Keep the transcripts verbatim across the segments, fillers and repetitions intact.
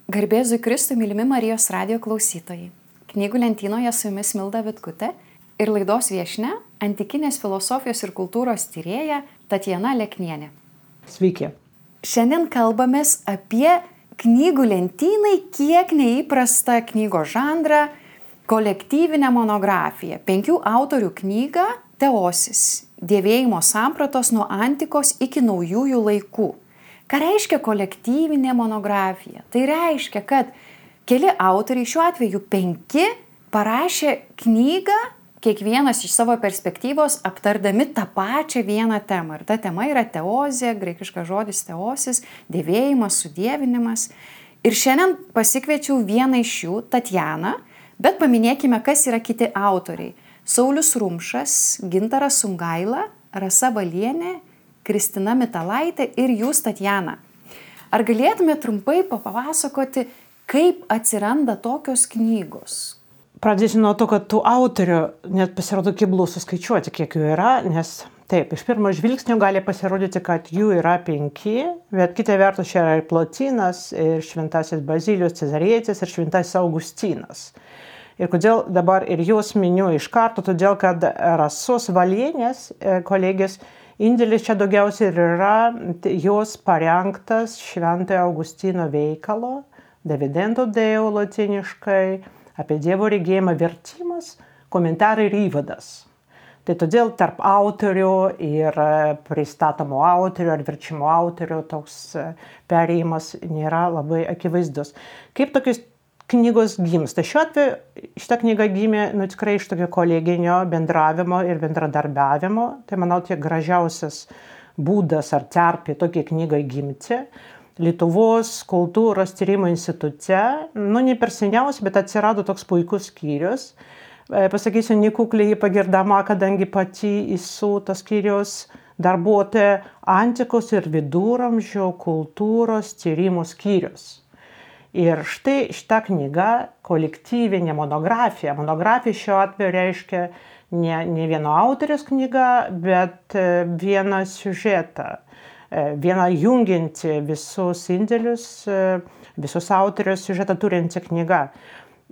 Garbėzui Kristui, mylimi Marijos radijo klausytojai. Knygų lentynoje su jumis Milda Vitkutė ir laidos viešnia antikinės filosofijos ir kultūros tyrėja Tatjana Leknienė. Sveiki. Šiandien kalbamės apie knygų lentynai kiek neįprastą knygos žanrą – kolektyvinę monografiją. Penkių autorių knygą Teosis – dievėjimo sampratos nuo antikos iki naujųjų laikų. Ką reiškia kolektyvinė monografija? Tai reiškia, kad keli autoriai, šiuo atveju penki, parašė knygą, kiekvienas iš savo perspektyvos aptardami tą pačią vieną temą. Ir ta tema yra teozė, graikiškas žodis teosis, dievėjimas, sudievinimas. Ir šiandien pasikviečiau vieną iš jų, Tatjaną, bet paminėkime, kas yra kiti autoriai. Saulius Rumšas, Gintaras Sungaila, Rasa Valienė, Kristina Mitalaitė ir jūs, Tatjana. Ar galėtume trumpai papasakoti, kaip atsiranda tokios knygos? Pradėsiu nuo to, kad tų autorių net pasirodo keblu suskaičiuoti, kiek jų yra, nes taip, iš pirmo žvilgsnio gali pasirodyti, kad jų yra penki, bet kita vertus čia yra ir Plotinas, ir Šventasis Bazilijus Cezarietis, ir Šventasis Augustinas. Ir kodėl dabar ir juos miniu iš karto, todėl kad Rasos Valienės kolegės indėlis čia daugiausiai ir yra jos parengtas Šventojo Augustino veikalo, Dividendo Deo lotiniškai, apie Dievo regėjimą vertimas, komentarai ir įvadas. Tai todėl tarp autorių ir pristatomų autorių ar verčimo autorių toks perėjimas nėra labai akivaizdus. Kaip tokios knygos gimsta? Šiuo atveju šitą knygą gimė nu, tikrai iš tokio koleginio bendravimo ir bendradarbiavimo. Tai, manau, tiek gražiausias būdas ar terpė tokiai knygai gimti. Lietuvos kultūros tyrimo institute, nu, ne per seniausiai, bet atsirado toks puikus skyrius. Pasakysiu, nekukliai pagirdama, kadangi pati esu tas skyrius darbuotoja antikos ir viduramžių kultūros tyrimų skyrius. Ir štai šita knyga, kolektyvinė monografija. Monografija šiuo atveju reiškia ne, ne vieno autoriaus knyga, bet vieną siužetą, vieną jungianti visus indėlius, visus autorius siužetą turinti knyga.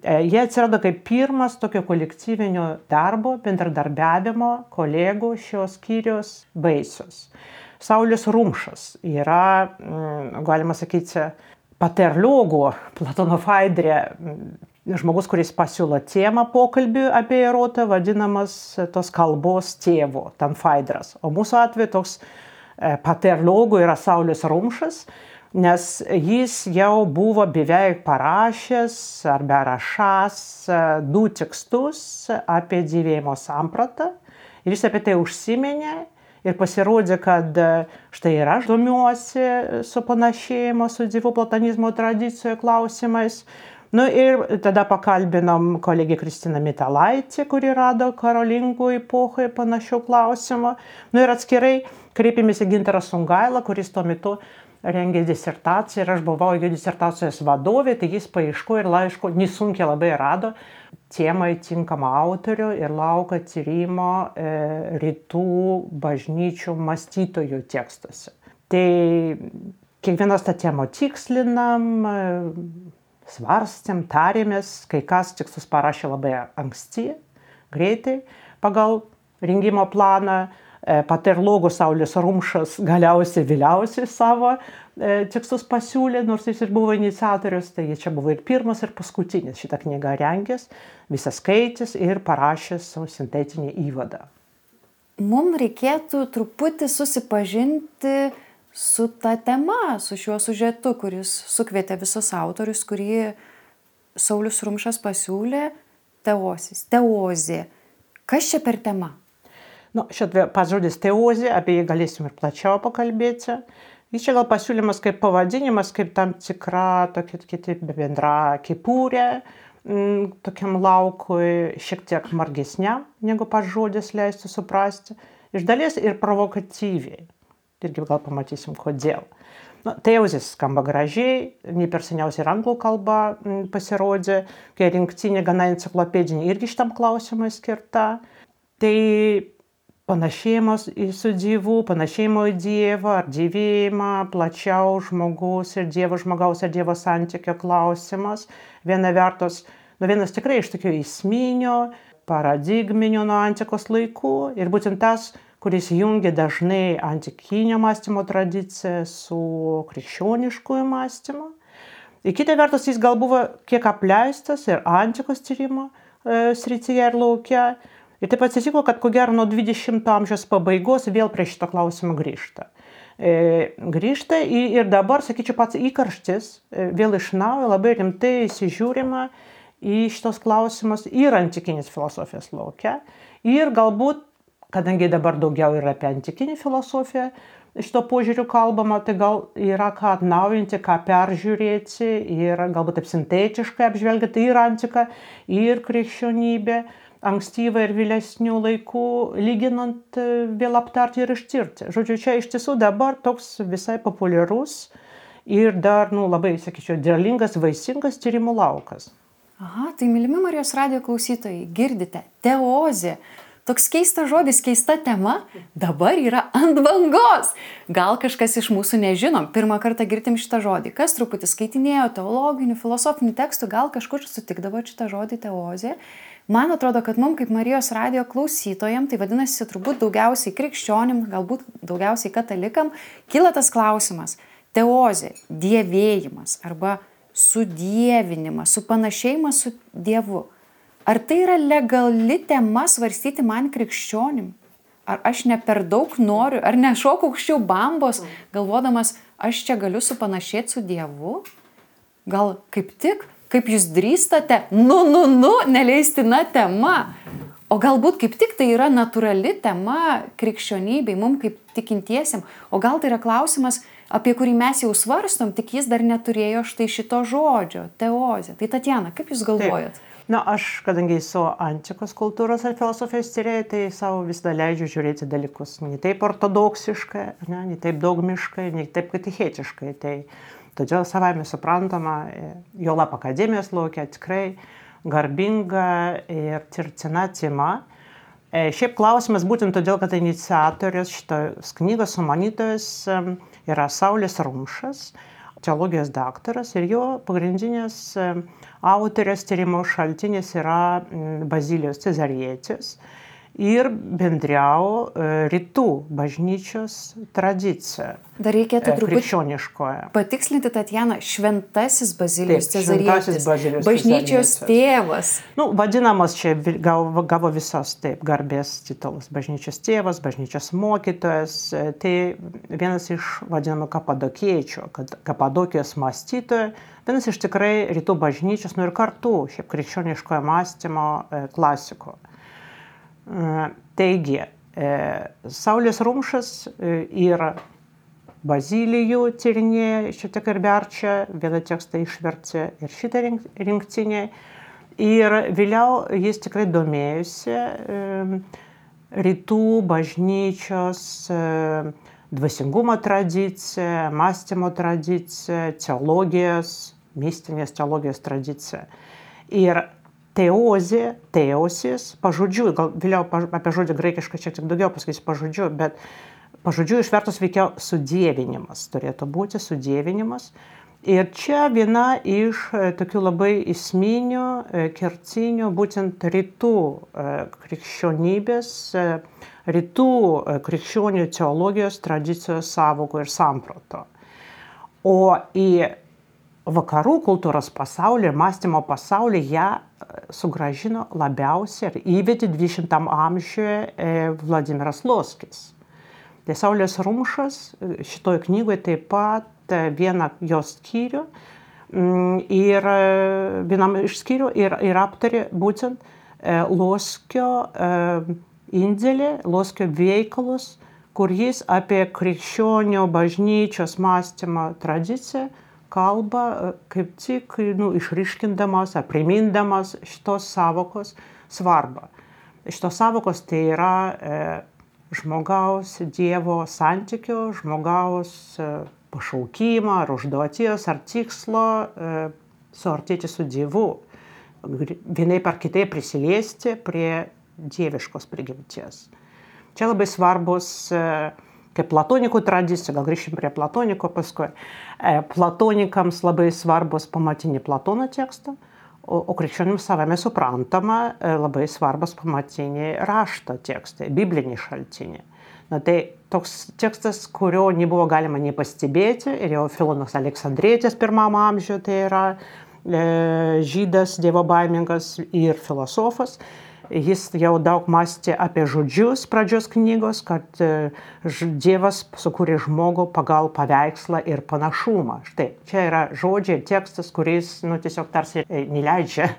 Jie atsirado kaip pirmas tokio kolektyvinio darbo, bendradarbiavimo kolegų šios skyrius vaisius. Saulius Rumšas yra, galima sakyti, paterliogų Platono Faidrė, žmogus, kuris pasiūlo temą pokalbiui apie erotą, vadinamas tos kalbos tėvu, tam Faidras. O mūsų atveju toks paterliogų yra Saulius Rumšas, nes jis jau buvo beveik parašęs arba rašęs du tekstus apie dievėjimo sampratą ir jis apie tai užsiminė. Ir pasirodė, kad štai ir aš domiuosi su panašėjimo, su dievo platonizmo tradicijų klausimais. Nu ir tada pakalbinom kolegę Kristiną Mitalaitę, kuri rado karolingų epochoje panašių klausimų. Nu ir atskirai kreipėmės į Gintarą Sungailą, kuris tuo metu rengė disertaciją ir aš buvau jo disertacijos vadovė, tai jis paieško ir laiško nesunkiai labai rado temai tinkamą autorių ir lauko tyrimo e, rytų bažnyčių mąstytojų tekstuose. Tai kiekvienas tą temą tikslinam, svarstėm, tarėmės, kai kas tekstus parašė labai anksti, greitai, pagal rengimo planą. Paterlogų Saulius Rumšas galiausiai vėliausiai savo e, tekstus pasiūlė, nors jis ir buvo iniciatorius, tai čia buvo ir pirmas, ir paskutinis šitą knygą rengęs, visą skaitęs ir parašęs savo sintetinį įvadą. Mums reikėtų truputį susipažinti su ta tema, su šiuo siužetu, kuris sukvietė visus autorius, kurį Saulius Rumšas pasiūlė, teosis, teozė. Kas čia per tema? Nu, šiandien pats žodis teozė, apie jį galėsim ir plačiau pakalbėti. Jis čia gal pasiūlymas kaip pavadinimas, kaip tam tikra tokia kiti bendra kepurė, m, tokiam laukui šiek tiek margesniam, negu pats žodis leistų suprasti. Iš dalies ir provokatyviai. Irgi gal pamatysim, kodėl. Nu, teozės skamba gražiai, ne per seniausiai ir anglų kalba m, pasirodė, kai rinktinė gana enciklopedinė irgi šitam klausimui skirta. Tai panašėjimas į su Dievu, panašėjimo į Dievą, ar dievėjimą, plačiau žmogus ir Dievo žmogaus ir Dievo santykio klausimas. Viena vertus, nu vienas tikrai iš tokių esminio, paradigminio nuo antikos laikų ir būtent tas, kuris jungia dažnai antikinio mąstymo tradiciją su krikščioniškuoju mąstymu. Ir kita vertus, jis gal buvo kiek apleistas ir antikos tyrimo e, srityje ir lauke. Ir taip atsitiko, kad ko gero nuo dvidešimto amžiaus pabaigos vėl prie šito klausimo grįžta. E, grįžta ir dabar, sakyčiau, pats įkarštis e, vėl iš naujo labai rimtai įsižiūrima į šitos klausimus ir antikinės filosofijos lauke. Ir galbūt, kadangi dabar daugiau yra apie antikinį filosofiją, šito požiūriu kalbama, tai gal yra ką atnaujinti, ką peržiūrėti ir galbūt taip sintetiškai apžvelgti ir antiką, ir krikščionybę, ankstyvą ir vėlesnių laikų, lyginant vėl aptarti ir ištirti. Žodžiu, čia iš tiesų dabar toks visai populiarus ir dar, nu, labai, sakyčiau, derlingas, vaisingas tyrimų laukas. Aha, tai mylimi Marijos radijo klausytojai, girdite, teozė. Toks keistas žodis, keista tema, dabar yra ant bangos. Gal kažkas iš mūsų nežinom, pirmą kartą girdim šitą žodį. Kas truputį skaitinėjo teologinių, filosofinių tekstų, gal kažkur sutikdavo šitą žodį teozė. Man atrodo, kad mums kaip Marijos radijo klausytojam, tai vadinasi turbūt daugiausiai krikščionim, galbūt daugiausiai katalikam, kyla tas klausimas. Teozė, dievėjimas arba sudievinimas, supanašėjimas su Dievu. Ar tai yra legali tema svarstyti man krikščionim? Ar aš ne per daug noriu, ar nešoku aukščiau bambos, galvodamas, aš čia galiu supanašėti su Dievu? Gal kaip tik, kaip jūs drįstate, nu, nu, nu, neleistina tema. O galbūt kaip tik tai yra natūrali tema krikščionybei, mums kaip tikintiesiam. O gal tai yra klausimas, apie kurį mes jau svarstom, tik jis dar neturėjo štai šito žodžio, teozė. Tai Tatjana, kaip jūs galvojat? Taip. Na, aš, kadangi esu antikos kultūros ir filosofijos tyrėja, tai savo visada leidžiu žiūrėti dalykus ne taip ortodoksiškai, ne, ne taip dogmiškai, ne taip katechetiškai. Tai todėl savaime suprantama, juolab akademijos lauke tikrai garbinga ir tirtina tema. Šiaip klausimas būtent todėl, kad iniciatorius šitos knygos sumanytojas yra Saulius Rumšas, teologijos daktaras, ir jo pagrindinės autorės tyrimo šaltinis yra Bazilijos Cezarietis ir bendriau rytų bažnyčios tradicija. Dar reikėtų truputį krikščioniškoje. Patikslinti, Tatjana, šventasis Bazilijos Taip, Cezarietis, Bazilijos bažnyčios Cezarietis. tėvas. Nu, vadinamas čia gavo, gavo visos taip garbės titulas. Bažnyčios tėvas, bažnyčios mokytojas. Tai vienas iš vadinamų kapadokiečių, kad kapadokijos mąstytojų, vienas iš tikrai rytų bažnyčios, nu ir kartu šiaip krikščioniškojo mąstymo klasiko. Taigi, Saulius Rumšas ir Bazilijų tyrinėja, šiek tiek ir verčia, vieną tekstą išverčia ir šitą rinktinę. Ir vėliau jis tikrai domėjusi rytų bažnyčios dvasingumo tradicija, mąstymo tradicija, teologijos, mistinės teologijos tradicija. Ir teozė, teosis, pažodžiu, gal vėliau apie žodį graikiškai šiek tiek daugiau pasakysiu pažodžiu, bet pažodžiu išvertus veikiau sudievinimas, turėtų būti sudievinimas. Ir čia viena iš tokių labai esminių, kertinių, būtent rytų krikščionybės, rytų krikščionių teologijos tradicijos sąvokų ir samprato. O į vakarų kultūros pasaulį ir mąstymo pasaulį ją sugrąžino labiausiai ir įvedė dvidešimtam amžiuje Vladimiras Loskis. Tai Saulius Rumšas šitoje knygoje taip pat vieną jos skyrių ir vienam iš skyrių ir, ir aptarė būtent Loskio indėlį, Loskio veikalus, kur jis apie krikščionių bažnyčios mąstymo tradiciją kalba kaip tik nu, išryškindamas ar primindamas šitos sąvokos svarbą. Šitos sąvokos tai yra e, žmogaus Dievo santykio, žmogaus e, pašaukimo ar užduoties ar tikslo e, suartėti su Dievu. Vienaip ar kitaip prisiliesti prie dieviškos prigimties. Čia labai svarbus, kaip platonikų tradicija, gal grįšim prie platoniko paskui. Platonikams labai svarbus pamatiniai Platono tekstą, o, o krikščionims savame suprantama labai svarbus pamatiniai rašto tekstai, bibliniai šaltiniai. Na tai toks tekstas, kurio nebuvo galima nei pastebėti, ir jau Filonas Aleksandrietis pirmam amžiuje, tai yra e, žydas, dievobaimingas ir filosofas. Jis jau daug mąstė apie žodžius pradžios knygos, kad Dievas sukūrė žmogų pagal paveikslą ir panašumą. Štai, čia yra žodžiai, tekstas, kuris nu, tiesiog tarsi neleidžia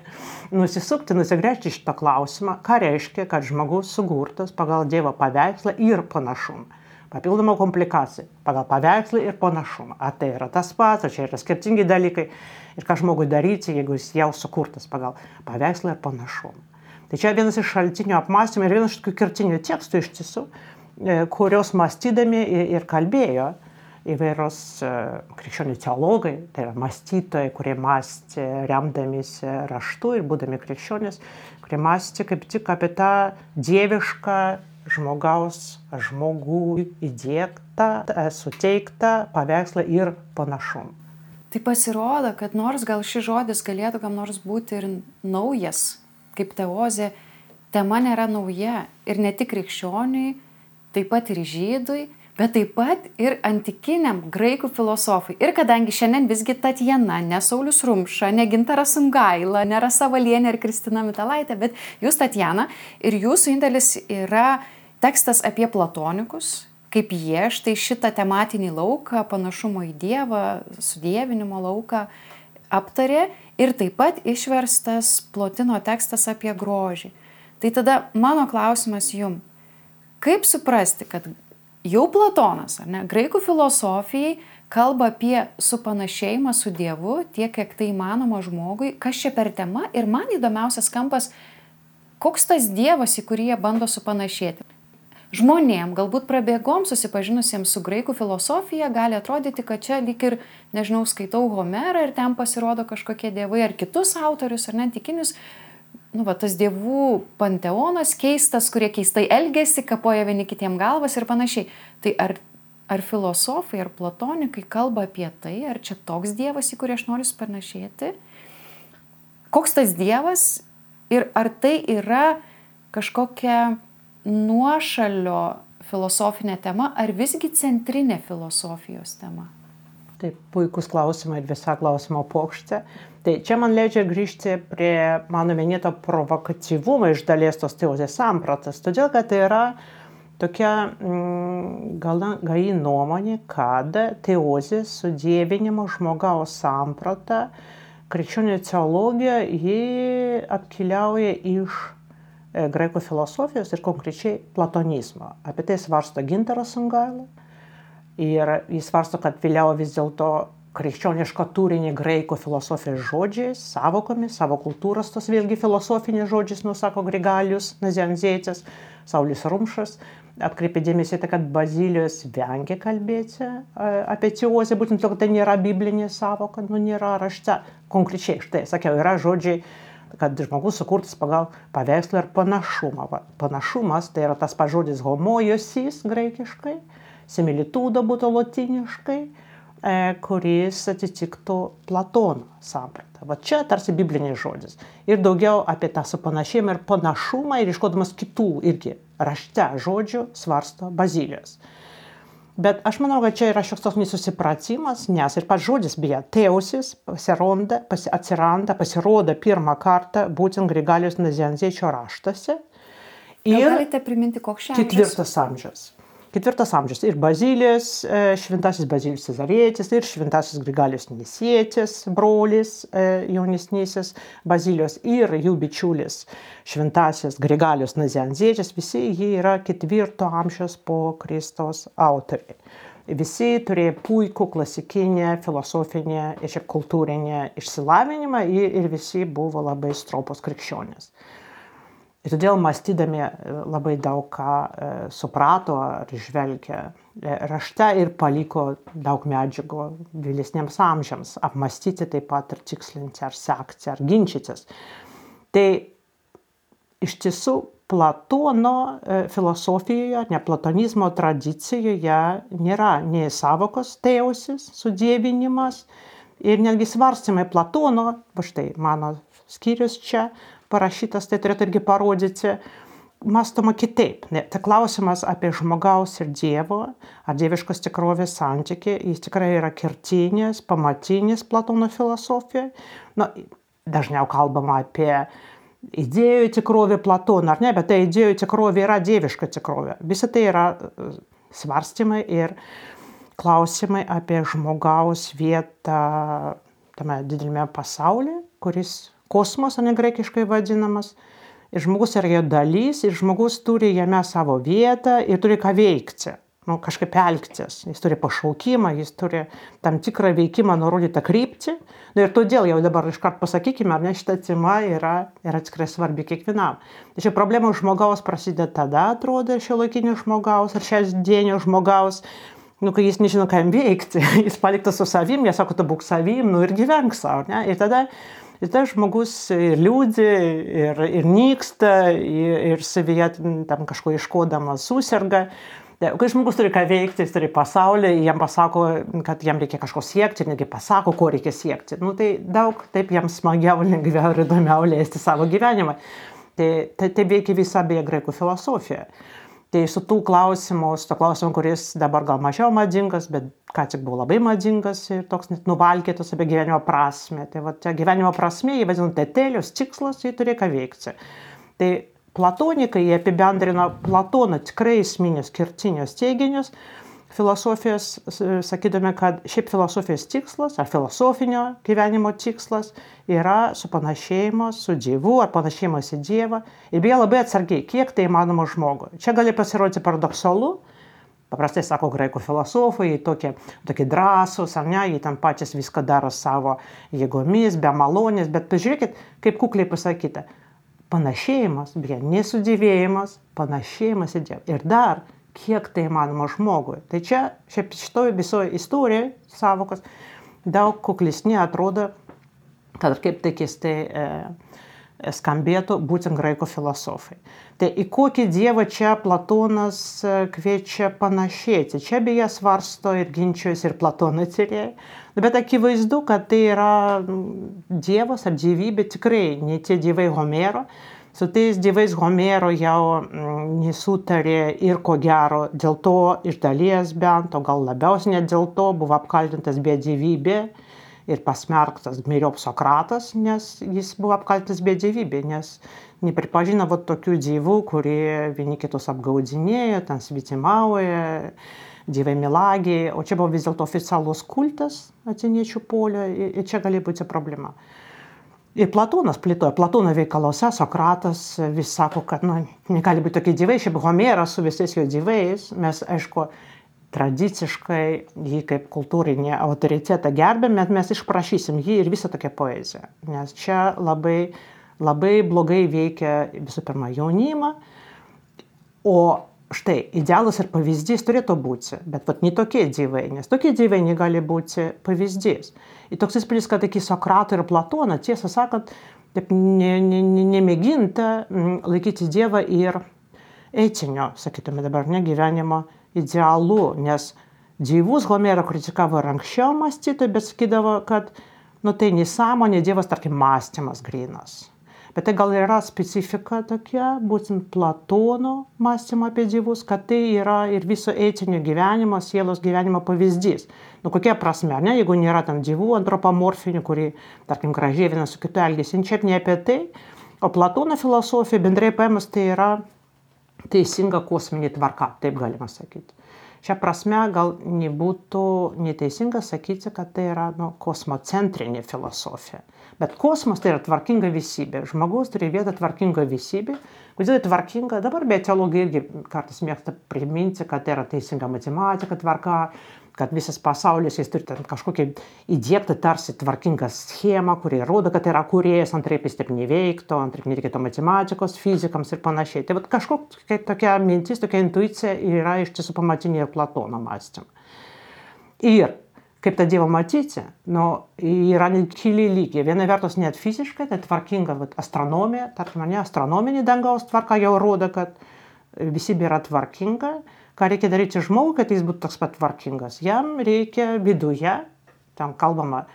nusisukti, nusigręžti šitą klausimą, ką reiškia, kad žmogus sukurtas pagal Dievo paveikslą ir panašumą. Papildoma komplikacija pagal paveikslą ir panašumą. Ar tai yra tas pats, ar čia yra skirtingi dalykai ir ką žmogui daryti, jeigu jis jau sukurtas pagal paveikslą ir panašumą. Tai čia vienas iš šaltinių apmąstymų ir vienas iš tokių kertinių tekstų iš tiesų, kurios mąstydami ir kalbėjo įvairios krikščionių teologai, tai yra mąstytojai, kurie mąstė remdamiesi raštu ir būdami krikščionys, kurie mąstė kaip tik apie tą dievišką žmogaus, žmogų įdiegtą, suteiktą paveikslą ir panašumą. Tai pasirodo, kad nors gal šis žodis galėtų kam nors būti ir naujas, kaip teozė, tema nėra nauja ir ne tik krikščioniui, taip pat ir žydui, bet taip pat ir antikiniam graikų filosofui. Ir kadangi šiandien visgi Tatjana, ne Saulius Rumša, ne Gintaras Sungaila, ne Rasa Valienė ir Kristina Mitalaitė, bet jūs, Tatjana, ir jūsų indėlis yra tekstas apie platonikus, kaip jie štai šitą tematinį lauką, panašumo į Dievą, sudievinimo lauką aptarė. Ir taip pat išverstas Plotino tekstas apie grožį. Tai tada mano klausimas jums, kaip suprasti, kad jau Platonas, ar ne, graikų filosofijai kalba apie supanašėjimą su Dievu, tiek, kiek tai įmanoma žmogui, kas čia per tema, ir man įdomiausias kampas, koks tas Dievas, į kurį jie bando supanašėti. Žmonėm, galbūt prabėgom susipažinusiems su graikų filosofija, gali atrodyti, kad čia lyg ir, nežinau, skaitau Homerą ir ten pasirodo kažkokie dievai ar kitus autorius, ar net tikinius, nu, va, tas dievų panteonas keistas, kurie keistai elgesi, kapoja vieni kitiem galvas ir panašiai. Tai ar, ar filosofai, ar platonikai kalba apie tai, ar čia toks Dievas, į kurį aš noriu panašėti? Koks tas Dievas ir ar tai yra kažkokia nuošalio filosofinė tema, ar visgi centrinė filosofijos tema? Tai puikus klausimai ir visa klausimo pokštė. Tai čia man leidžia grįžti prie mano minėto provokatyvumo iš dalies tos teozės sampratas, todėl kad tai yra tokia mm, gana gai nuomonė, kad teozės sudievinimo žmogaus samprata, krikščionių teologija, ji atkeliauja iš graikų filosofijos ir konkrečiai platonizmo. Apie tai svarsto Gintaras Sungaila. Ir jis svarsto, kad vėliau vis dėlto krikščionišką turinį graikų filosofijos žodžiais, savokomis, savo kultūros tos vėlgi filosofinės žodžiais, nusako Grigalius Nazianzietis, Saulius Rumšas. Atkreipė dėmesį tai, kad Bazilijos vengia kalbėti apie teozę, būtent to, kad tai nėra biblinė savoka, nu nėra rašte. Konkrečiai, štai, sakiau, yra žodžiai, kad žmogus sukurtas pagal paveikslą ir panašumą. Va, panašumas tai yra tas pats žodis homoiosis graikiškai, similitudo būtų lotyniškai, e, kuris atitiktų Platono sampratą. Va čia tarsi biblinis žodis. Ir daugiau apie tą supanašėjimą ir panašumą ir iškodamas kitų irgi rašte žodžių svarsto Bazilijos. Bet aš manau, kad čia yra šioks toks nesusipratimas, nes ir pats žodis, beje, teosis pasironda, pasi, atsiranda, pasirodo pirmą kartą būtent Grigaliaus Nazianziečio raštuose. Ir galite priminti, koks šiandien? Ketvirtas amžius. Ketvirtas amžius. Ir Bazilijos, šventasis Bazilijus Cezarietis, ir šventasis Grigalijos Nisietis, brolis jaunesnysis Bazilijos, ir jų bičiulis šventasis Grigalijos Nazianzietis, visi jie yra ketvirto amžiaus po Kristaus autoriai. Visi turėjo puikų klasikinę, filosofinę ir šiaip kultūrinę išsilavinimą ir, ir visi buvo labai stropos krikščionys. Ir todėl mąstydami labai daug ką e, suprato ar žvelgia e, rašte ir paliko daug medžiagų vėlesniems amžiams apmąstyti taip pat ir tikslinti ar sekti ar ginčytis. Tai iš tiesų Platono filosofijoje, ne platonizmo tradicijoje nėra nei sąvokos teosis, sudievinimas ir netgi svarstymai Platono, va štai mano skyrius čia parašytas, tai turėtų irgi parodyti, mąstoma kitaip. Tai klausimas apie žmogaus ir Dievo, ar dieviškos tikrovės santykį, jis tikrai yra kertinis, pamatinis Platono filosofijoje. Nu, dažniau kalbama apie idėjų tikrovė Platono, ar ne, bet ta idėjų tikrovė yra dieviška tikrovė. Visa tai yra svarstymai ir klausimai apie žmogaus vietą tame dideliame pasaulyje, kuris kosmos, ne graikiškai vadinamas. Ir žmogus yra jo dalis, ir žmogus turi jame savo vietą ir turi ką veikti. Nu, kažkaip elgtis. Jis turi pašaukimą, jis turi tam tikrą veikimą nurodytą kryptį. Nu, ir todėl jau dabar iškart pasakykime, ar ne, šita tema yra, yra tikrai svarbi kiekvienam. Tačiau problema žmogaus prasideda tada, atrodo, šiuolaikinio žmogaus ar šiandienio žmogaus, nu, kai jis nežino, ką jam veikti. Jis paliktas su savim, jie sako, tu būk savim, nu ir gyvenk savo. Ne? Ir tada, ir tada žmogus ir liūdi, ir, ir nyksta, ir, ir savyje tam kažko iškodamas susirga. Kai žmogus turi ką veikti, jis turi pasaulį, jam pasako, kad jam reikia kažko siekti, ir netgi pasako, ko reikia siekti. Nu, tai daug taip jam smagiau, lengviau ir įdomiau leisti savo gyvenimą. Tai, tai, tai veikia visa beje graikų filosofija. Tai su tų klausimų, su to klausimu, kuris dabar gal mažiau madingas, bet ką tik buvo labai madingas ir toks net nuvalkėtas apie gyvenimo prasmę. Tai va, čia gyvenimo prasmė, jį vadinu tetelius, tikslas, jį turi ką veikti. Tai platonikai jie apibendrino Platono tikrai esminius kertinius teiginius filosofijos, sakydami, kad šiaip filosofijos tikslas ar filosofinio gyvenimo tikslas yra supanašėjimas su Dievu ar panašėjimas į Dievą. Ir beje labai atsargiai, kiek tai įmanoma žmogui. Čia gali pasirodyti paradoksalu. Paprastai sako graikų filosofai, jie tokie, tokie drąsūs, ar ne, jie ten patys viską daro savo jėgomis, be malonės, bet pažiūrėkit, kaip kukliai pasakyta. Panašėjimas, beje, nesudėvėjimas, panašėjimas į Dievą. Ir dar, kiek tai įmanoma žmogui. Tai čia, šiaip šitoje visoje istorijoje savokos daug kuklesni atrodo, kad kaip tai keistai e, skambėtų būtent graikų filosofai. Tai į kokį Dievą čia Platonas kviečia panašėti. Čia beje svarsto ir ginčius ir Platono tyrėjai. Bet akivaizdu, kad tai yra Dievas ar dievybė tikrai ne tie dievai Homero. Su tais dievais Homero jau nesutarė ir ko gero dėl to iš dalies bent, o gal labiausiai net dėl to buvo apkaltintas bedievybė ir pasmerktas myriop Sokratas, nes jis buvo apkaltintas bedievybė, nes nepripažino vat tokių dievų, kurie vieni kitus apgaudinėjo, ten svetimauja, dievai melagiai, o čia buvo vis dėlto oficialus kultas atėniečių polio ir čia gali būti problema. Ir Platonas plėtoja, Platono veikaluose Sokratas vis sako, kad nu, negali būti tokie dievai, šiaip Homeras su visais jo dievais, mes aišku tradiciškai jį kaip kultūrinį autoritetą gerbėm, bet mes išprašysim jį ir visą tokią poeziją, nes čia labai, labai blogai veikia visų pirma jaunimą, o štai, idealas ir pavyzdys turėtų būti, bet vat, ne tokie dievai, nes tokie dievai negali būti pavyzdys. Ir toks įspūdis, kad iki Sokrato ir Platono, tiesą sakant, taip ne, ne, ne, nemėginta laikyti Dievą ir etinio, sakytume dabar, ne gyvenimo idealu, nes dievus Homero kritikavo ir anksčiau mąstytojai, bet sakydavo, kad nu, tai nesąmonė, Dievas, tarkim, mąstymas grynas. Bet tai gal yra specifika tokia, būtent Platono mąstymo apie dievus, kad tai yra ir viso etinio gyvenimo, sielos gyvenimo pavyzdys. Nu, kokia prasme, ne? Jeigu nėra tam dievų antropomorfinių, kurie, tarkim, gražiai vienas su kitu elgesi, čia ne apie tai, o Platono filosofija bendrai paėmus tai yra teisinga kosminė tvarka, taip galima sakyti. Šią prasme gal nebūtų neteisinga sakyti, kad tai yra nu, kosmocentrinė filosofija. Bet kosmos tai yra tvarkinga visybė. Žmogus turi vietą tvarkinga visybė. Kodėl tai tvarkinga? Dabar be teologai irgi kartais mėgsta priminti, kad tai yra teisinga matematika tvarka, kad visas pasaulis jis turi kažkokią įdiegtą tarsi tvarkingą schemą, kuri rodo, kad tai yra kūrėjas, antraip jis taip neveiktų, antraip nereikėtų matematikos, fizikams ir panašiai. Tai vat kažkokia tokia mintis, tokia intuicija yra iš tiesų pamatinė ir Platono mąstymą. Ir kaip tą Dievą matyti, nu, yra keli lygiai. Viena vertus net fiziškai, tai tvarkinga vat, astronomija, tarkim, ne, astronominė dangaus tvarka jau rodo, kad visybė yra tvarkinga. Ką reikia daryti žmogui, kad jis būtų toks pat tvarkingas? Jam reikia viduje, ten kalbama,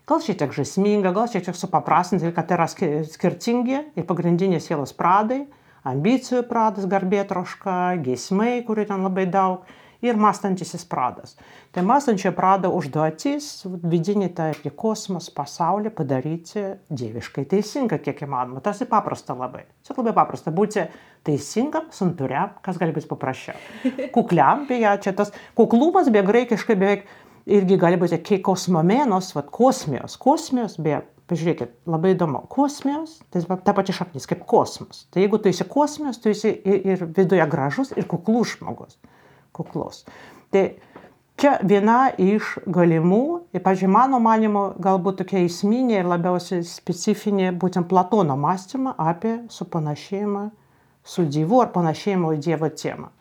gal šiek tiek žaisminga, gal šiek tiek supaprastinti, kad yra skirtingi ir pagrindiniai sielos pradai, ambicijų pradas, garbėtroška, geismai, kurių ten labai daug, ir mąstantysis pradas. Tai mąstančio prado užduotis vidinį tą apie kosmos pasaulį padaryti dieviškai teisingą, kiek įmanoma. Tarsi paprasta labai. Čia labai paprasta būti teisingam, santūriam, kas gali būti paprasčiau. Kukliam, beje, čia tas kuklumas, beje, graikiškai beveik irgi gali būti kai kosmomenos, vat kosmijos. Kosmijos, beje, pažiūrėkit, labai įdomu. Kosmijos, tai ta pati šaknis, kaip kosmos. Tai jeigu tu esi kosmijos, tu esi ir, ir viduje gražus, ir kuklus žmogus. Kuklus. Tai čia viena iš galimų, ir, pavyzdžiui, mano manymu, galbūt tokia esminė ir labiausiai specifinė būtent Platono mąstymą apie supanašėjimą su Dievu ar panašėjimo į Dievo temą.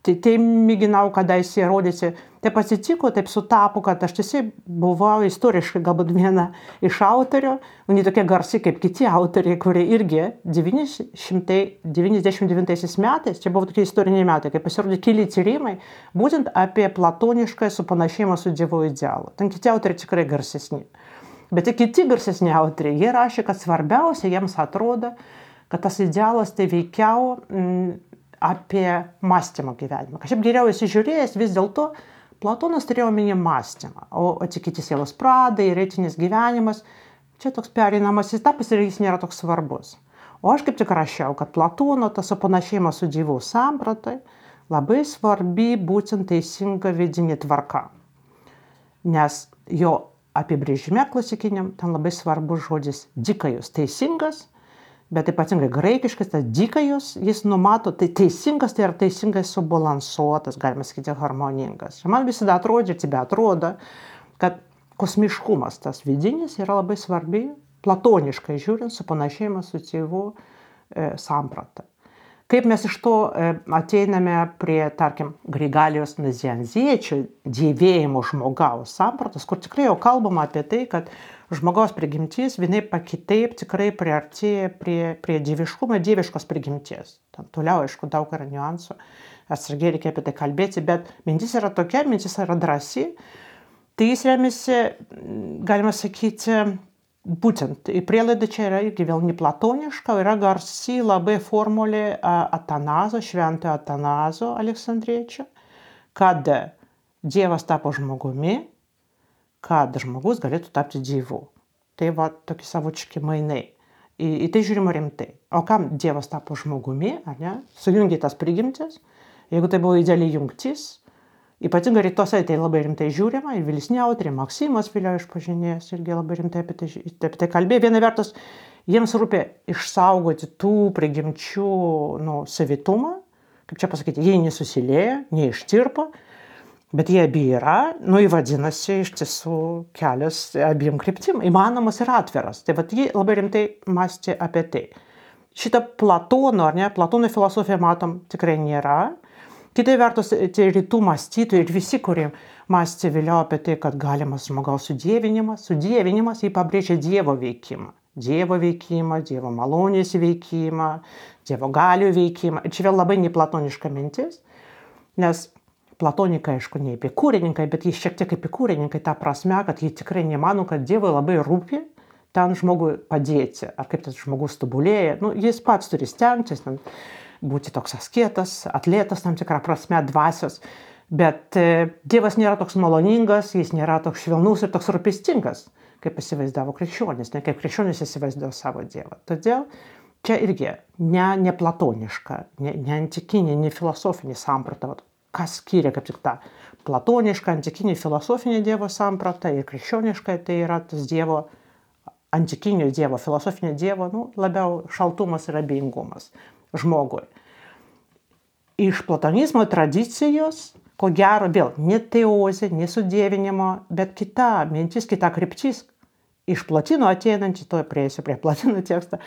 Tai, tai mėginau kadaise įrodyti, taip atsitiko, taip sutapo, kad aš tiesiog buvau istoriškai galbūt viena iš autorių, ne tokie garsi kaip kiti autoriai, kurie irgi devyni šimtai devyniasdešimt devintaisiais metais, čia buvo tokie istoriniai metai, kai pasirodė keli tyrimai, būtent apie platonišką supanašėjimą su Dievo idealu. Ten kiti autoriai tikrai garsesni. Bet ir kiti garsesni autoriai, jie rašė, kad svarbiausia jiems atrodo, kad tas idealas tai veikiau mm, apie mąstymą gyvenimą. Kažkaip geriau įsižiūrėjęs, vis dėlto Platonas turėjo omeny mąstymą, o atsikiti sielos pradai ir etinis gyvenimas, čia toks pereinamasis etapas ir jis nėra toks svarbus. O aš kaip tik rašiau, kad Platono tas supanašėjimas su Dievu sampratai labai svarbi būtent teisinga vidinė tvarka. Nes jo apibrėžime klasikiniam ten labai svarbus žodis dikajus, teisingas, bet ypatingai graikiškas, tas dikajus, jis numato, tai teisingas, tai yra teisingai subalansuotas, galima sakyti, harmoningas. Ir man visada atrodė, tebe atrodo, kad kosmiškumas tas vidinis yra labai svarbi, platoniškai žiūrint, supanašėjimas su Dievu e, samprata. Kaip mes iš to e, ateiname prie, tarkim, Grigalijos nazianziečių dievėjimo žmogaus sampratos, kur tikrai jau kalbama apie tai, kad žmogaus prigimtis vienaip pa kitaip tikrai priartėja prie, prie dieviškumo, dieviškos prigimties. Tam toliau, aišku, daug yra niuansų, atsargiai reikia apie tai kalbėti, bet mintis yra tokia, mintis yra drąsi. Tai jis remiasi, galima sakyti, būtent, prielaida čia yra irgi vėl neplatoniška, yra garsi labai formulė Atanazo, šventojo Atanazo Aleksandriečio, kad Dievas tapo žmogumi, kad žmogus galėtų tapti Dievu. Tai va tokie savotiški mainai. Į, į tai žiūrima rimtai. O kam Dievas tapo žmogumi, ar ne? Sujungia tas prigimtis. Jeigu tai buvo idealiai jungtis, ypatingai rytuose tai labai rimtai žiūrima, ir vėlesni autoriai, Maksimas vėliau išpažinėjęs, irgi labai rimtai apie tai, apie tai kalbėjo. Viena vertus, jiems rūpė išsaugoti tų prigimčių nu, savitumą, kaip čia pasakyti, jie nesusilieja, neištirpo, bet jie abi yra, nu įvadinasi iš tiesų kelias abiem kryptim, įmanomas ir atviras. Tai vat jie labai rimtai mąstė apie tai. Šitą Platono, ar ne, Platono filosofiją matom tikrai nėra. Kitai vertus, tai rytų mąstytojai ir visi, kurie mąstė vėliau apie tai, kad galimas žmogaus sudėvinimas, sudėvinimas, jį pabrėžia Dievo veikimą. Dievo veikimą, Dievo malonės veikimą, Dievo galių veikimą. Ir čia vėl labai neplatoniška mintis, nes platonikai, aišku, ne epikūrininkai, bet jie šiek tiek epikūrininkai tą prasme, kad jie tikrai nemano, kad Dievui labai rūpi ten žmogui padėti, ar kaip tas žmogus tobulėja. Nu, jis pats turi stengtis, būti toks asketas, atletas tam tikrą prasme, dvasios, bet e, Dievas nėra toks maloningas, jis nėra toks švelnus ir toks rūpestingas, kaip įsivaizdavo krikščionis, ne kaip krikščionis įsivaizdavo savo Dievą. Todėl čia irgi ne, ne platoniška, ne, ne antikinė, ne filosofinė samprata. Kas skiria kaip tik tą platonišką, antikinį filosofinį Dievo sampratą ir krikščionišką, tai yra tas Dievo, antikinio Dievo, filosofinio Dievo, nu, labiau šaltumas ir abejingumas žmogui. Iš platonizmo tradicijos, ko gero, vėl ne teozė, ne sudievinimo, bet kita mintis, kita kryptis, iš Plotino ateinanti, to prieisiu prie Plotino tekstą,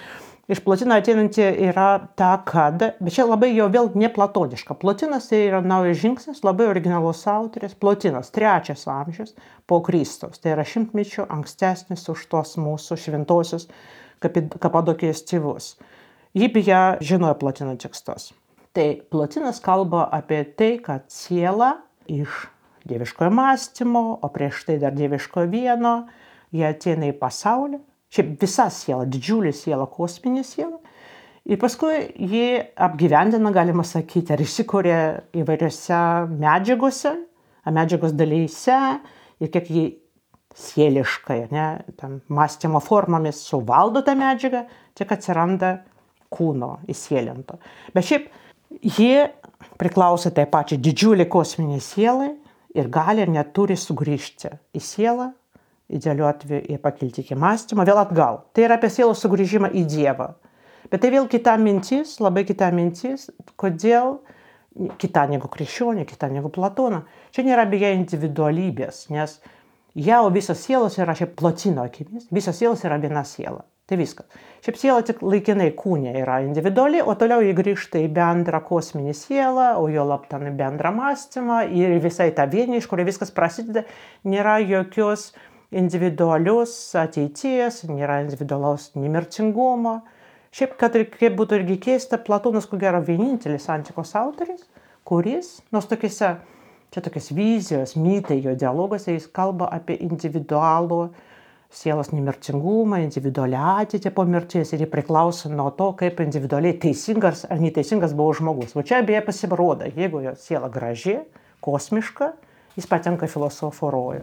iš Plotino ateinanti yra ta, kad, bet čia labai jau vėl neplatoniška. Plotinas tai yra naujas žingsnis, labai originalus autoris. Plotinas, trečias amžius po Kristaus. Tai yra šimtmečių ankstesnis už tos mūsų šventosius Kapadokijos tėvus. Jį beje žinojo Plotino tekstus. Tai Plotinas kalba apie tai, kad siela iš dieviškojo mąstymo, o prieš tai dar dieviškojo vieno, jie ateina į pasaulį. Šiaip visa siela, didžiulė siela, kosminė siela. Ir paskui jį apgyvendina, galima sakyti, ar įsikūrė įvairiose medžiagose, medžiagos dalyse, ir kiek jį sieliškai, ne, tam mąstymo formomis suvaldo tą medžiagą, tik atsiranda kūno įsielinto. Bet šiaip jie priklauso tai pačiai didžiulį kosminį sielai ir gali ir neturi sugrįžti į sielą, idealiu atveju ir pakilti iki mąstymo, vėl atgal. Tai yra apie sielos sugrįžimą į Dievą. Bet tai vėl kita mintis, labai kita mintis, kodėl kita negu krikščionė, kita negu Platono. Čia nėra beje individualybės, nes jau visos sielos yra šiaip Plotino akimis, visos sielos yra viena siela. Tai viskas. Šiaip siela tik laikinai kūne yra individuali, o toliau jį grįžta į bendrą kosminį sielą, o jo laptan į bendrą mąstymą ir visai tą vienį, iš kurio viskas prasideda, nėra jokios individualios ateities, nėra individualaus nemirtingumo. Šiaip, kad ir kaip būtų irgi keista, Platonas, ko gero, vienintelis antikos autoris, kuris, nors tokiuose, čia tokios vizijos, mitai, jo dialoguose, jis kalba apie individualų sielos nemirtingumą, individualią ateitį po mirties ir jį priklauso nuo to, kaip individualiai teisingas ar neteisingas buvo žmogus. Va čia beje pasirodo, jeigu jo siela graži, kosmiška, jis patenka filosofo rojų.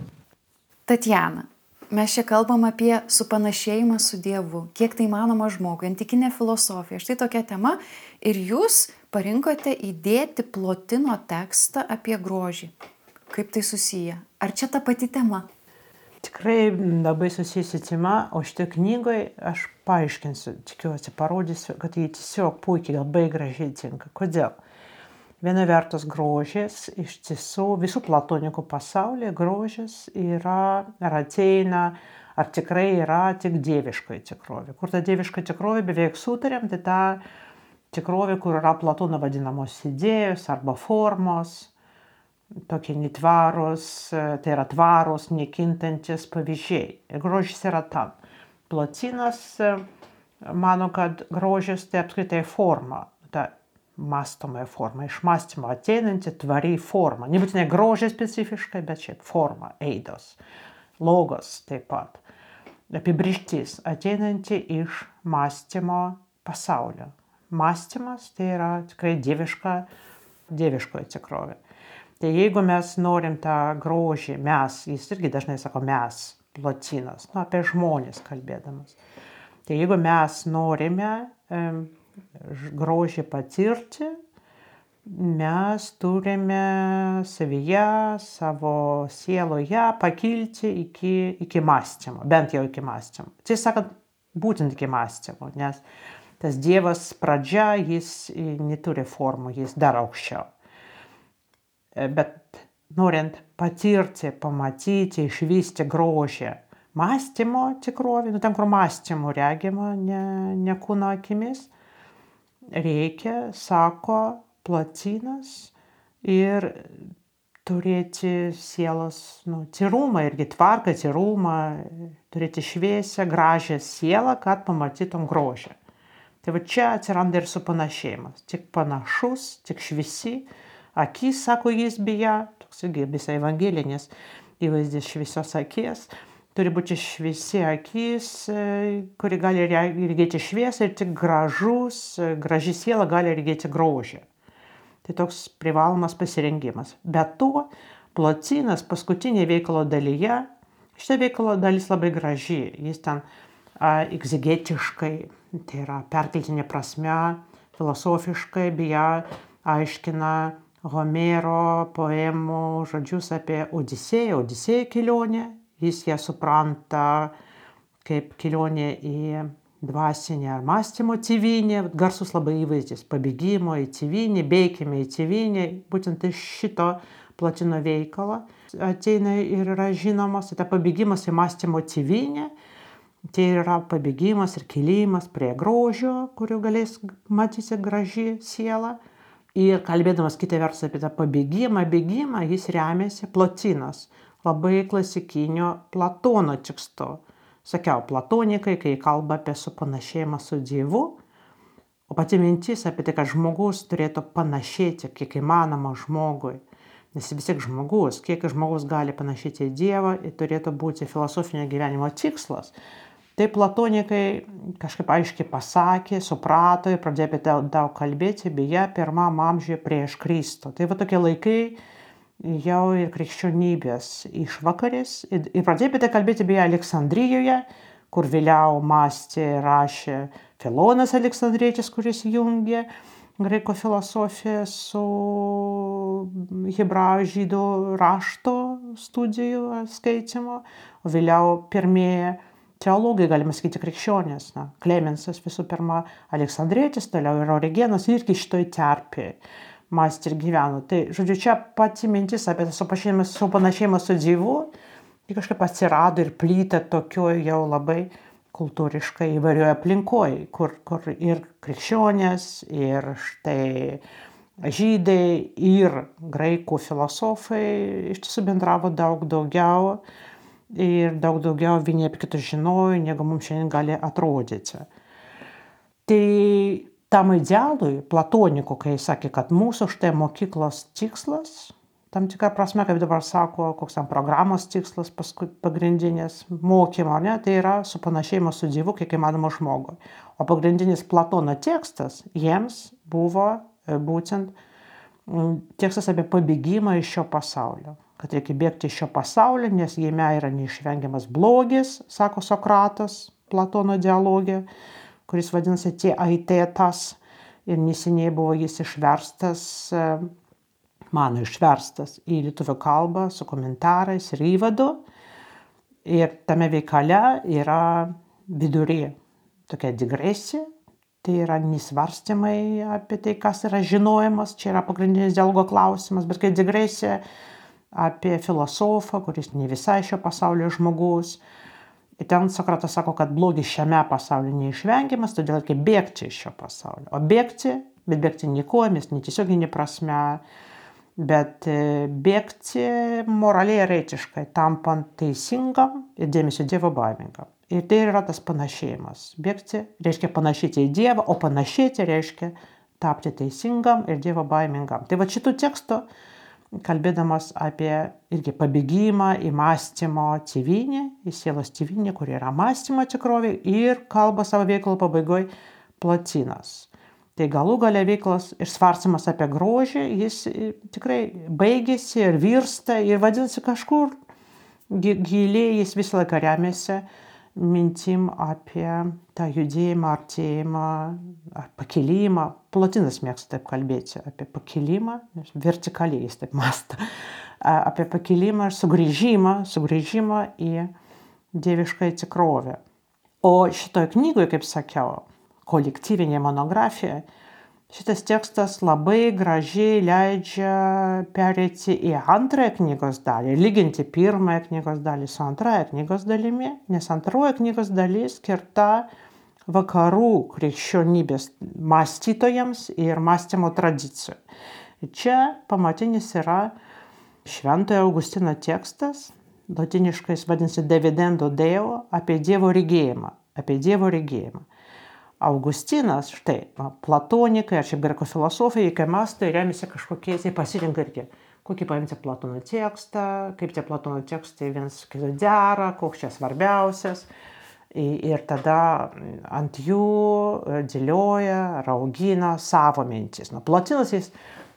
Tatjana, mes čia kalbam apie supanašėjimą su Dievu, kiek tai manoma žmogui, antikinė filosofija. Štai tokia tema ir jūs parinkote įdėti Plotino tekstą apie grožį. Kaip tai susiję? Ar čia ta pati tema? Tikrai labai susijusi tema, o šitą knygoje aš paaiškinsiu, tikiuosi, parodysiu, kad jį tiesiog puikiai, labai gražiai tinka. Kodėl? Viena vertus grožis, iš tiesų visų platonikų pasaulyje grožis yra, ar ateina, ar tikrai yra tik dieviškoji tikrovė. Kur ta dieviška tikrovė beveik sutarėm, tai ta tikrovė, kur yra Platono vadinamos idėjos arba formos, tokie netvarūs, tai yra tvarūs, nekintantis pavyzdžiai. Ir grožis yra tam. Plotinas mano, kad grožis tai apskritai forma, ta mąstomąją formą, iš mąstymo ateinanti tvari forma. Nebūtinai grožis specifiškai, bet šiaip forma, eidos, logos taip pat. Apibrėžtis ateinanti iš mąstymo pasaulio. Mąstymas tai yra tikrai dieviška, dieviškoji tikrovė. Tai jeigu mes norim tą grožį, mes, jis irgi dažnai sako mes, Plotinas, nu, apie žmonės kalbėdamas. Tai jeigu mes norime e, grožį patirti, mes turime savyje, savo sieloje pakilti iki, iki mąstymo, bent jau iki mąstymo. Tiesą sakant, būtent iki mąstymo, nes tas Dievas pradžia, jis neturi formų, jis dar aukščiau. Bet norint patirti, pamatyti, išvysti grožį mąstymo tikrovį, nu ten, kur mąstymo regima, ne, ne kūno akimis, reikia, sako Plotinas, ir turėti sielos nu, tyrumą, irgi tvarką, tyrumą, turėti šviesią, gražią sielą, kad pamatytum grožį. Tai va čia atsiranda ir supanašėjimas. Tik panašus, tik šviesi. Akis, sako jis beje, toks irgi visai evangelinis įvaizdis šviesios akis, turi būti šviesi akis, kuri gali regėti šviesą ir tik gražus, graži siela gali regėti grožį. Tai toks privalomas pasirengimas. Be to, Plotinas paskutinė veikalo dalyje, šitą veikalo dalis labai graži, jis ten a, egzegetiškai, tai yra perkeltinė prasme, filosofiškai beje aiškina Homero poemų žodžius apie Odisėją, Odisėjo kelionę. Jis ją supranta kaip kelionė į dvasinę ar mąstymo tėvynę, garsus labai įvaizdis, pabėgimo į tėvynę, bėkime į tėvynę, būtent iš šito Plotino veikalo ateina ir yra žinomas, tai pabėgimas į mąstymo tėvynę, Tai yra pabėgimas ir kilimas prie grožio, kuriuo galės matyti graži siela. Ir kalbėdamas kitą vertus apie tą pabėgimą, bėgimą, jis remiasi Plotinas, labai klasikinio Platono tekstu. Sakiau, platonikai, kai kalba apie supanašėjimą su Dievu, o pati mintis apie tai, kad žmogus turėtų panašėti kiek įmanoma žmogui, nes vis tiek žmogus, kiek žmogus gali panašėti į Dievą, ir turėtų būti filosofinio gyvenimo tikslas. Tai platonikai kažkaip aiškiai pasakė, suprato ir pradėjo apie tai daug kalbėti, beje, pirmam amžiuje prieš Kristų. Tai va tokie laikai jau ir krikščionybės išvakarės. Ir, ir pradėjo apie tai kalbėti beje Aleksandrijoje, kur vėliau mąstė ir rašė Filonas Aleksandrietis, kuris jungė graikų filosofiją su hebrajų žydų rašto studijų skaitimo, o vėliau pirmieji teologai, galima sakyti, krikščionės, na, Klemensas visų pirma, Aleksandrietis, toliau ir Origenas, irgi šitoj terpėje mąstė ir gyveno. Tai, žodžiu, čia pati mintis apie tą supanašėjimą su Dievu, tai kažkaip atsirado ir plytė tokioje jau labai kultūriškai įvairioje aplinkoje, kur, kur ir krikščionės, ir štai žydai, ir graikų filosofai iš tiesų bendravo daug daugiau, ir daug daugiau vieni apie kitus žinojo, negu mums šiandien gali atrodyti. Tai tam idealui platonikų, kai sakė, kad mūsų štai mokyklos tikslas, tam tikrą prasme, kaip dabar sako, koks tam programos tikslas pagrindinės mokymo, ne, tai yra supanašėjimas su Dievu, kiek įmanoma žmogui. O pagrindinis Platono tekstas jiems buvo būtent tekstas apie pabėgimą iš šio pasaulio. Kad reikia bėgti iš šio pasaulio, nes jame yra neišvengiamas blogis, sako Sokratas Platono dialogė, kuris vadinasi tie aitetas, ir neseniai buvo jis išverstas, mano išverstas į lietuvių kalbą su komentarais ir įvadu. Ir tame veikale yra vidury tokia digresija, tai yra nesvarstymai apie tai, kas yra žinojimas, čia yra pagrindinis dialogo klausimas, bet kai digresija apie filosofą, kuris ne visai šio pasaulio žmogus. Ir ten Sokratas sako, kad blogis šiame pasaulyje neišvengiamas, todėl reikia bėgti iš šio pasaulio. O bėgti, bet bėgti ne kojomis, ne tiesioginė prasme, bet bėgti moraliai ir etiškai, tampant teisingam ir dėmesio Dievo baimingam. Ir tai yra tas panašėjimas. Bėgti reiškia panašėti į Dievą, o panašėti reiškia tapti teisingam ir Dievo baimingam. Tai va šitų tekstų, kalbėdamas apie irgi pabėgimą į mąstymo tėvynę, į sielos tėvynę, kur yra mąstymo tikrovė, ir kalba savo veikalo pabaigoje Plotinas. Tai galų gale veiklos ir svarstymas apie grožį, jis tikrai baigėsi ir virsta ir vadinasi kažkur giliai, jis visą laiką remiasi mintim apie tą judėjimą, artėjimą, ar pakilimą. Plotinas mėgsta taip kalbėti apie pakilimą, vertikaliai jis taip mąsto, apie pakilimą ir sugrįžimą, sugrįžimą į dievišką tikrovę. O šitoje knygoje, kaip sakiau, kolektyvinė monografija, šitas tekstas labai gražiai leidžia pereiti į antrąją knygos dalį, lyginti pirmąją knygos dalį su antrąją knygos dalimi, nes antroji knygos dalis skirta vakarų krikščionybės mąstytojams ir mąstymo tradicijų. Čia pamatinis yra Šventojo Augustino tekstas, latiniškai vadinasi Dividendo Deo, apie Dievo regėjimą, apie Dievo regėjimą. Augustinas, štai, platonikai, ar šiaip graikų filosofai, kai mąsto, remiasi kažkokiais, jie pasirinka irgi, kokį paimti Platono tekstą, kaip tie Platono tekstai vienas kitų dera, koks čia svarbiausias. Ir tada ant jų dėlioja, raugina savo mintis. Na, Plotinas jis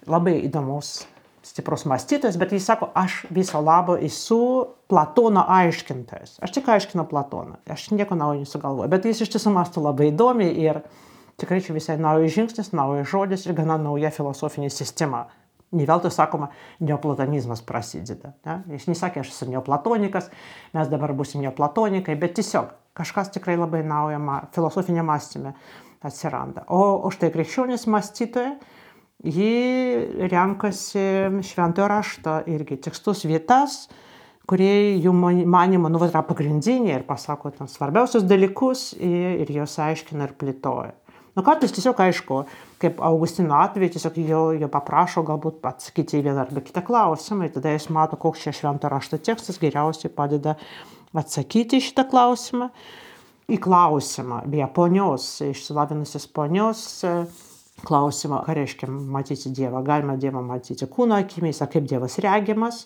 labai įdomus, stiprus mąstytojas, bet jis sako, aš viso labo esu Platono aiškintojas. Aš tik aiškinu Platoną, aš nieko naujo nesugalvoju, bet jis iš tiesų mąsto labai įdomiai ir tikrai čia visai naujas žingsnis, naujas žodis ir gana nauja filosofinė sistema. Ne veltui sakoma, neoplatonizmas prasideda. Ne? Jis nesakė, aš esu neoplatonikas, mes dabar būsim neoplatonikai, bet tiesiog kažkas tikrai labai nauja filosofinė mąstyme atsiranda. O, o štai krikščionys mąstytojai, ji renkasi šventojo rašto irgi tekstus, vietas, kurie jų manimo nu, yra pagrindiniai ir pasako ten svarbiausius dalykus ir, ir jos aiškina ir plėtoja. Nu, kartais tiesiog aišku, kaip Augustino atveju, tiesiog jo, jo paprašo galbūt atsakyti į vieną arba kitą klausimą ir tada jis mato, koks čia švento rašto tekstas geriausiai padeda atsakyti į šitą klausimą. Į klausimą, beje, ponios, išsilavinusios ponios klausimą, ką reiškia matyti Dievą. Galima Dievą matyti kūno akimis, ar kaip Dievas regimas.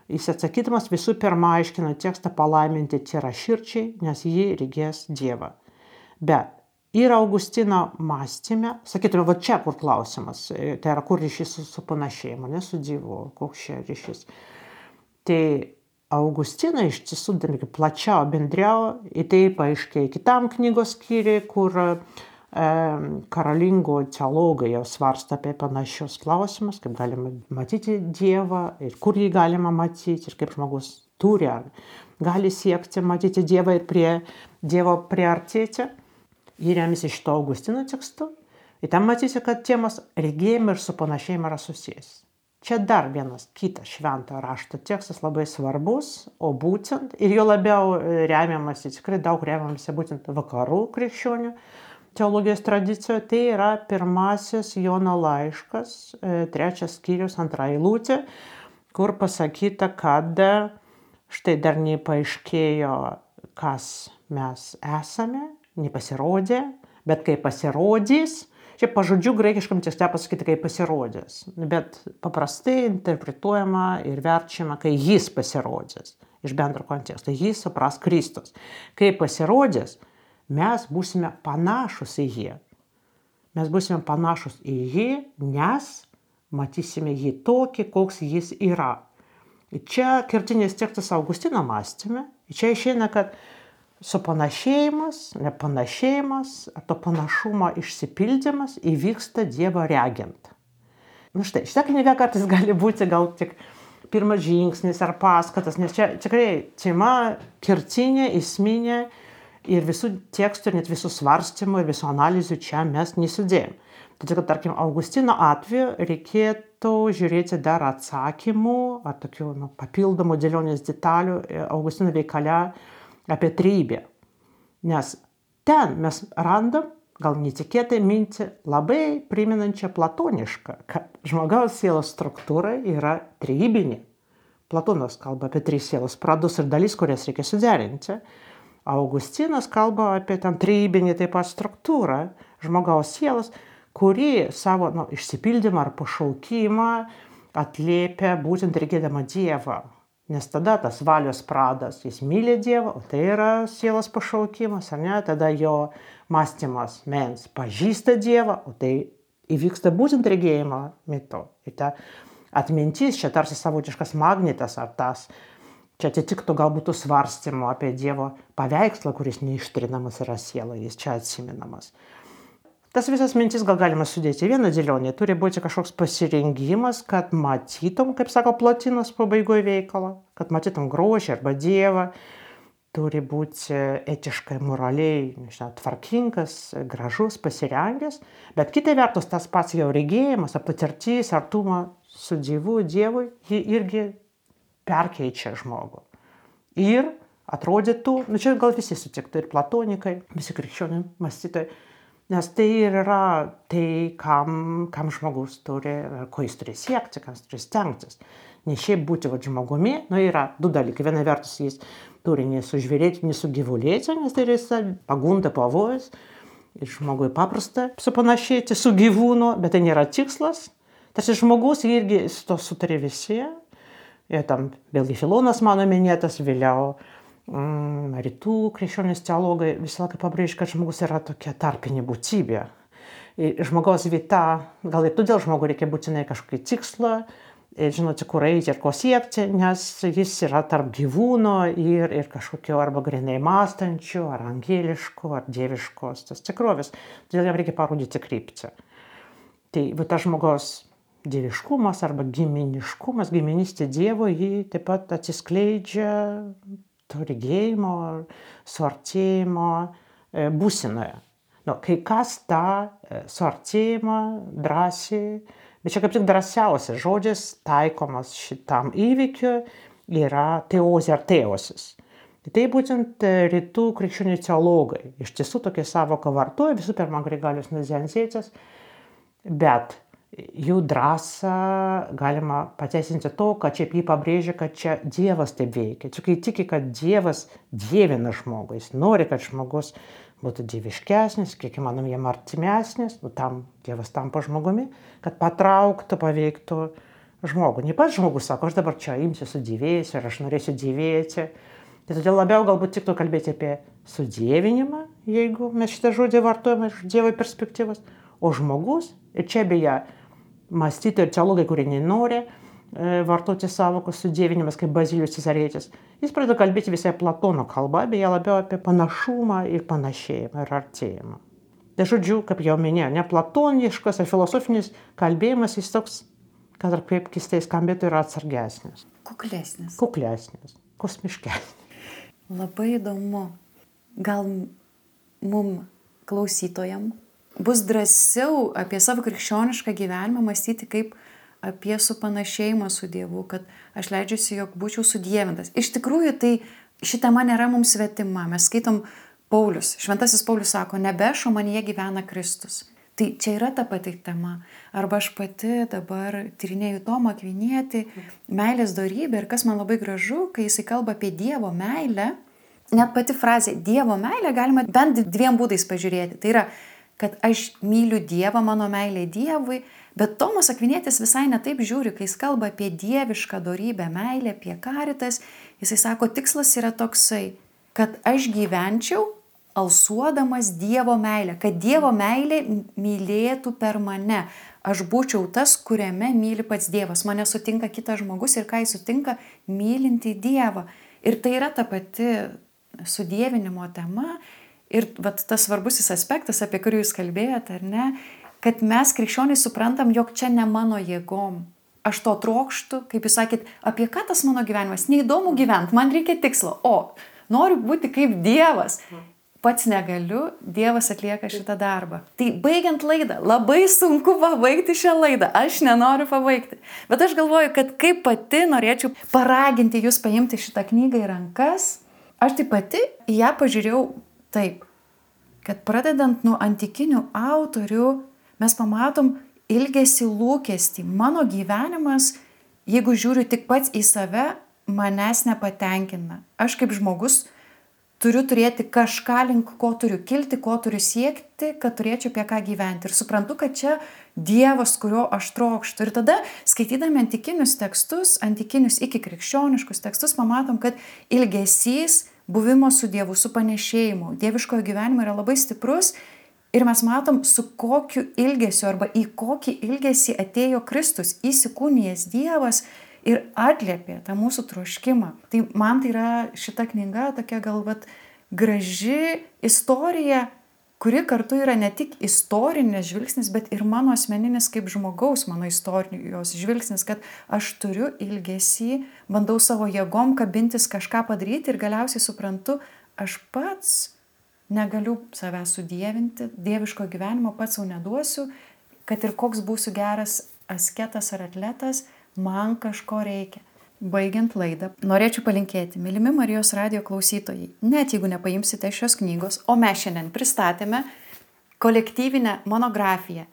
Jis atsakydamas visų pirma aiškina tekstą palaiminti tyra širdžiai, nes jį regės Dievą. Bet ir Augustino mąstyme, sakytume, va čia kur klausimas, tai yra kur ryšys su, su panašėjimu, ne su Dievu, koks čia ryšys. Tai Augustino iš tiesų plačiau bendriau, į tai paaiškėja kitam knygos skyriui, kur e, karalingų teologai jau svarsto apie panašius klausimus, kaip galima matyti Dievą ir kur jį galima matyti ir kaip žmogus turi ar gali siekti matyti Dievą ir prie Dievo priartėti. Jį remiasi šito Augustino tekstu. Ir ten matysi, kad temos regėjimai ir su panašėjimu yra susijęs. Čia dar vienas kitas švento rašto tekstas labai svarbus, o būtent, ir jo labiau remiamasi, tikrai daug remiamasi būtent vakarų krikščionių teologijos tradicijoje, tai yra pirmasis Jono laiškas, trečias skyrius, antra eilutė, kur pasakyta, kad štai dar nepaaiškėjo, kas mes esame, nepasirodė, bet kai pasirodys, čia pažodžiu graikiškam tekste pasakyti, kai pasirodys, bet paprastai interpretuojama ir verčiama, kai jis pasirodys, iš bendro konteksto, jis supras Kristus. Kai pasirodys, mes būsime panašus į jį. Mes būsime panašus į jį, nes matysime jį tokį, koks jis yra. Ir čia kertinis tekstas Augustino mąstyme, ir čia išeina, kad supanašėjimas, nepanašėjimas, ar to panašumo išsipildymas įvyksta Dievo regint. Nu štai, šitą knygą kartais gali būti gal tik pirmas žingsnis ar paskatas, nes čia tikrai tema kertinė, esminė ir visų tekstų, net visų svarstymų ir visų analizių čia mes nesudėjom. Todėl, kad, tarkim, Augustino atveju reikėtų žiūrėti dar atsakymų ar tokių nu, papildomų dėlionės detalių Augustino veikale apie trejybę. Nes ten mes randam, gal netikėtai mintį, labai priminančią platonišką, kad žmogaus sielos struktūra yra trejybinė. Platonas kalba apie tris sielos pradus ir dalis, kurias reikia suderinti. Augustinas kalba apie tam trejybinį taip pat struktūrą žmogaus sielos, kuri savo nu, išsipildymą ar pašaukimą atliepia būtent regėdama Dievą. Nes tada tas valios pradas, jis myli Dievą, o tai yra sielos pašaukimas, ar ne? Tada jo mąstymas mens pažįsta Dievą, o tai įvyksta būtent regėjimo metu. Ir ta atmintis čia tarsi savotiškas magnetas ar tas, čia atitiktų galbūt svarstymų apie Dievo paveikslą, kuris neištrinamas yra sieloje, jis čia atsiminamas. Tas visas mintis gal galima sudėti vieną dėlionį, turi būti kažkoks pasirengimas, kad matytum, kaip sako Plotinas pabaigoje veikalo, kad matytum grožį arba Dievą, turi būti etiškai, moraliai, nežinau, tvarkingas, gražus, pasirengęs, bet kita vertus tas pats jau regėjimas, patirtis, artumo su Dievu, Dievui, jį irgi perkeičia žmogų. Ir atrodytų, nu čia gal visi sutiktų, ir platonikai, visi krikščioniai mąstytojai, nes tai yra tai, kam, kam žmogus turi, ko jis turi siekti, kam jis turi stengtis. Ne šiaip būti va, žmogumi, nu yra du dalykai. Viena vertus jis turi nesužvėrėti, nesugyvulėti, nes tai yra pagunda, pavojus. Ir žmogui paprasta supanašėti su gyvūnu, bet tai nėra tikslas. Tarsi žmogus irgi su to sutarė visi. Ir tam vėlgi Filonas mano minėtas, vėliau Mm, rytų krikščionys teologai visą laiką pabrėžia, kad žmogus yra tokia tarpinė būtybė. Ir žmogaus vieta, gal ir todėl žmogui reikia būtinai kažkokį tikslą, ir žinoti, kur eiti ir ko siekti, nes jis yra tarp gyvūno ir, ir kažkokio arba grinai mąstančių, ar angeliškų, ar dieviškos tos tikrovės. Todėl jam reikia parodyti kryptį. Tai va tas žmogaus dieviškumas arba giminiškumas, giminystė Dievo, jį taip pat atsiskleidžia to regėjimo, suartėjimo būsinoje. Nu, kai kas tą suartėjimą drąsiai, bet čia kaip tik drąsiausias žodžias taikomas šitam įvykiui yra teozė ar teosis. Tai būtent rytų krikščionių teologai iš tiesų tokią savoką vartoja, visų pirma Grigalius Nazianzietis, bet jų drąsą galima pateisinti to, kad čia jį pabrėžia, kad čia Dievas taip veikia. Čia kai tiki, kad Dievas dievina žmogų, jis nori, kad žmogus būtų dieviškesnis, kiek įmanom jam artimesnis, nu, tam Dievas tampa žmogumi, kad patrauktų, paveiktų žmogų. Ne pats žmogus sako, aš dabar čia imsiu sudėvėsiu ir aš norėsiu dėvėti. Tai todėl labiau galbūt tiktų kalbėti apie sudievinimą, jeigu mes šitą žodį vartojame iš Dievo perspektyvos, o žmogus, ir čia beje mąstytojai ir teologai, kurie nenori e, vartoti savokos sudievinimas kaip Bazilijus Cezarietis, jis pradeda kalbėti visai Platono kalba, beje labiau apie panašumą ir panašėjimą ir artėjimą. Tai žodžiu, kaip jau minėjau, ne platoniškas ar filosofinis kalbėjimas, jis toks, kad ar kaip keistai skambėtų, yra atsargesnis. Kuklesnis. Kuklesnis, kosmiškesnis. Labai įdomu. Gal mum klausytojam bus drąsiau apie savo krikščionišką gyvenimą mąstyti kaip apie supanašėjimą su Dievu, kad aš leidžiuosi, jog būčiau sudievintas. Iš tikrųjų, tai ši tema nėra mums svetima. Mes skaitom Paulius. Šventasis Paulius sako, nebešo manyje gyvena Kristus. Tai čia yra ta pati tema. Arba aš pati dabar tyrinėju Tomą Akvinietį, meilės dorybę, ir kas man labai gražu, kai jisai kalba apie Dievo meilę, net pati frazė Dievo meilę galima bent dviem būdais pažiūrėti. Tai yra, kad aš myliu Dievą, mano meilė Dievui, bet Tomas Akvinietis visai netaip žiūri, kai jis kalba apie dievišką dorybę, meilę, apie karitas, jisai sako, tikslas yra toksai, kad aš gyvenčiau alsuodamas Dievo meilę, kad Dievo meilė mylėtų per mane. Aš būčiau tas, kuriame myli pats Dievas. Mane sutinka kitas žmogus ir ką jis sutinka, mylinti Dievą. Ir tai yra ta pati sudievinimo tema. Ir vat, tas svarbusis aspektas, apie kurį jūs kalbėjote, ar ne, kad mes krikščionys suprantam, jog čia ne mano jėgom. Aš to trokštu, kaip jūs sakėt, apie ką tas mano gyvenimas? Neįdomu gyventi, man reikia tikslo. O, noriu būti kaip Dievas. Pats negaliu, Dievas atlieka šitą darbą. Tai baigiant laidą, labai sunku pabaigti šią laidą, aš nenoriu pabaigti. Bet aš galvoju, kad kaip pati norėčiau paraginti jūs paimti šitą knygą į rankas, aš tai pati į ją pažiūrėjau taip, kad pradedant nuo antikinių autorių, mes pamatom ilgesį lūkestį. Mano gyvenimas, jeigu žiūriu tik pats į save, manęs nepatenkina. Aš kaip žmogus turiu turėti kažką, link ko turiu kilti, ko turiu siekti, kad turėčiau apie ką gyventi. Ir suprantu, kad čia Dievas, kurio aš trokštu. Ir tada, skaitydami antikinius tekstus, antikinius iki krikščioniškus tekstus, pamatom, kad ilgesys buvimo su Dievu, su panešėjimu, dieviškojo gyvenimo yra labai stiprus. Ir mes matom, su kokiu ilgesiu arba į kokį ilgesį atėjo Kristus, įsikūnijęs Dievas, ir atliepė tą mūsų troškimą. Tai man tai yra šita knyga tokia galbūt graži istorija, kuri kartu yra ne tik istorinis žvilgsnis, bet ir mano asmeninis kaip žmogaus, mano istorijos žvilgsnis, kad aš turiu ilgesį, bandau savo jėgom kabintis kažką padaryti ir galiausiai suprantu, aš pats negaliu savęs sudievinti, dieviško gyvenimo pats sau neduosiu, kad ir koks būsiu geras asketas ar atletas, man kažko reikia. Baigiant laidą, norėčiau palinkėti, mylimi Marijos radijo klausytojai, net jeigu nepaimsite šios knygos, o mes šiandien pristatėme kolektyvinę monografiją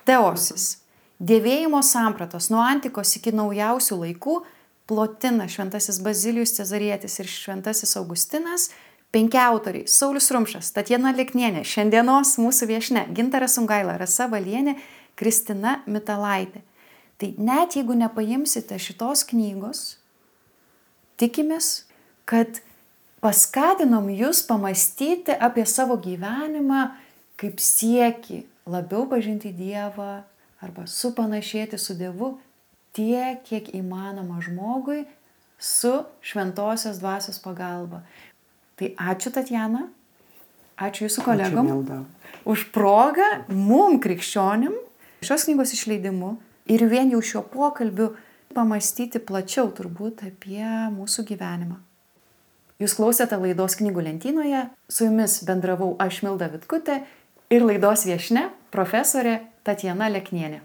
Teosis, dėvėjimo sampratos nuo antikos iki naujausių laikų, Plotina, šventasis Bazilijus Cezarietis ir šventasis Augustinas, penki autoriai, Saulius Rumšas, Tatjana Leknienė, šiandienos mūsų viešnia, Gintaras Sungaila, Rasa Valienė, Kristina Mitalaitė. Tai net jeigu nepaimsite šitos knygos, tikimės, kad paskatinom jūs pamastyti apie savo gyvenimą kaip siekį labiau pažinti Dievą arba supanašėti su Dievu tiek, kiek įmanoma žmogui su šventosios dvasios pagalba. Tai ačiū Tatjana, ačiū jūsų kolegom Ačiū, už progą mum krikščionim šios knygos išleidimu. Ir vien jau šiuo pokalbiu pamastyti plačiau turbūt apie mūsų gyvenimą. Jūs klausėte laidos Knygų lentynoje, su jumis bendravau aš Milda Vitkutė ir laidos viešnia profesorė Tatjana Leknienė.